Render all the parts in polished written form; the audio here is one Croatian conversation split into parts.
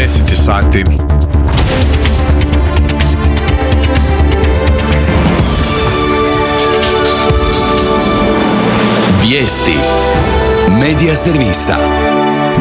10 sati. Vijesti Medija servisa.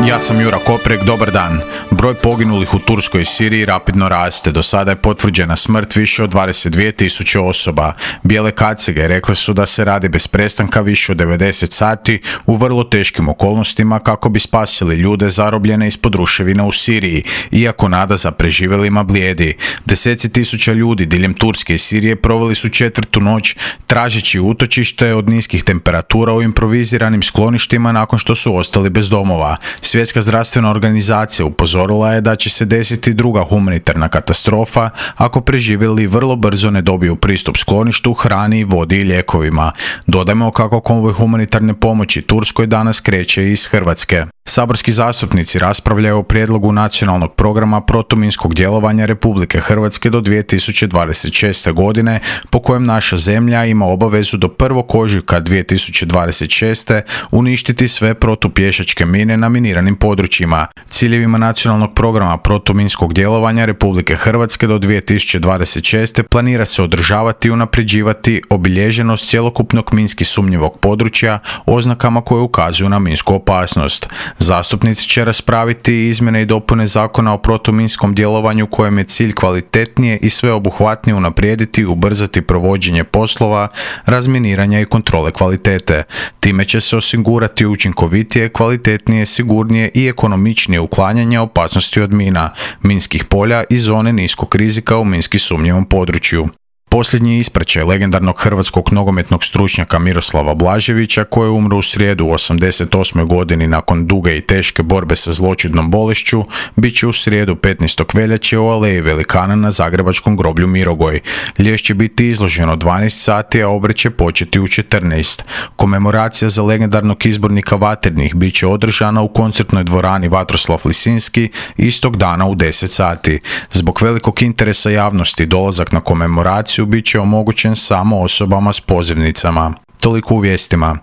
Ja sam Jura Koprek, dobar dan. Broj poginulih u Turskoj i Siriji rapidno raste. Do sada je potvrđena smrt više od 22.000 osoba. Bijele kacige rekle su da se radi bez prestanka više od 90 sati u vrlo teškim okolnostima kako bi spasili ljude zarobljene ispod ruševina u Siriji, iako nada za preživjelima blijedi. Deseci tisuća ljudi diljem Turske i Sirije proveli su četvrtu noć tražeći utočište od niskih temperatura u improviziranim skloništima nakon što su ostali bez domova. Svjetska zdravstvena organizacija upozorila je da će se desiti druga humanitarna katastrofa ako preživjeli vrlo brzo ne dobiju pristup skloništu, hrani, vodi i lijekovima. Dodajmo kako konvoj humanitarne pomoći Turskoj danas kreće iz Hrvatske. Saborski zastupnici raspravljaju o prijedlogu nacionalnog programa protuminskog djelovanja Republike Hrvatske do 2026. godine, po kojem naša zemlja ima obavezu do 1. ožujka 2026. uništiti sve protupješačke mine na miniranim područjima. Ciljevima nacionalnog programa protuminskog djelovanja Republike Hrvatske do 2026. planira se održavati i unapređivati obilježenost cjelokupnog minski sumnjivog područja oznakama koje ukazuju na minsku opasnost. Zastupnici će raspraviti izmjene i dopune Zakona o protuminskom djelovanju kojem je cilj kvalitetnije i sveobuhvatnije unaprijediti i ubrzati provođenje poslova, razminiranja i kontrole kvalitete. Time će se osigurati učinkovitije, kvalitetnije, sigurnije i ekonomičnije uklanjanje opasnosti od mina, minskih polja i zone niskog rizika u minski sumnjivom području. Posljednji ispraćaj legendarnog hrvatskog nogometnog stručnjaka Miroslava Blaževića, koji je umro u srijedu u 88. godini nakon duge i teške borbe sa zloćudnom bolešću, bit će u srijedu 15. veljače u Aleji Velikana na zagrebačkom groblju Mirogoj. Lijes će biti izloženo 12 sati, a obred će početi u 14. Komemoracija za legendarnog izbornika Vaternih bit će održana u koncertnoj dvorani Vatroslav Lisinski istog dana u 10 sati. Zbog velikog interesa javnosti dolazak na komemoraciju bit će omogućen samo osobama s pozivnicama. Toliko u vijestima.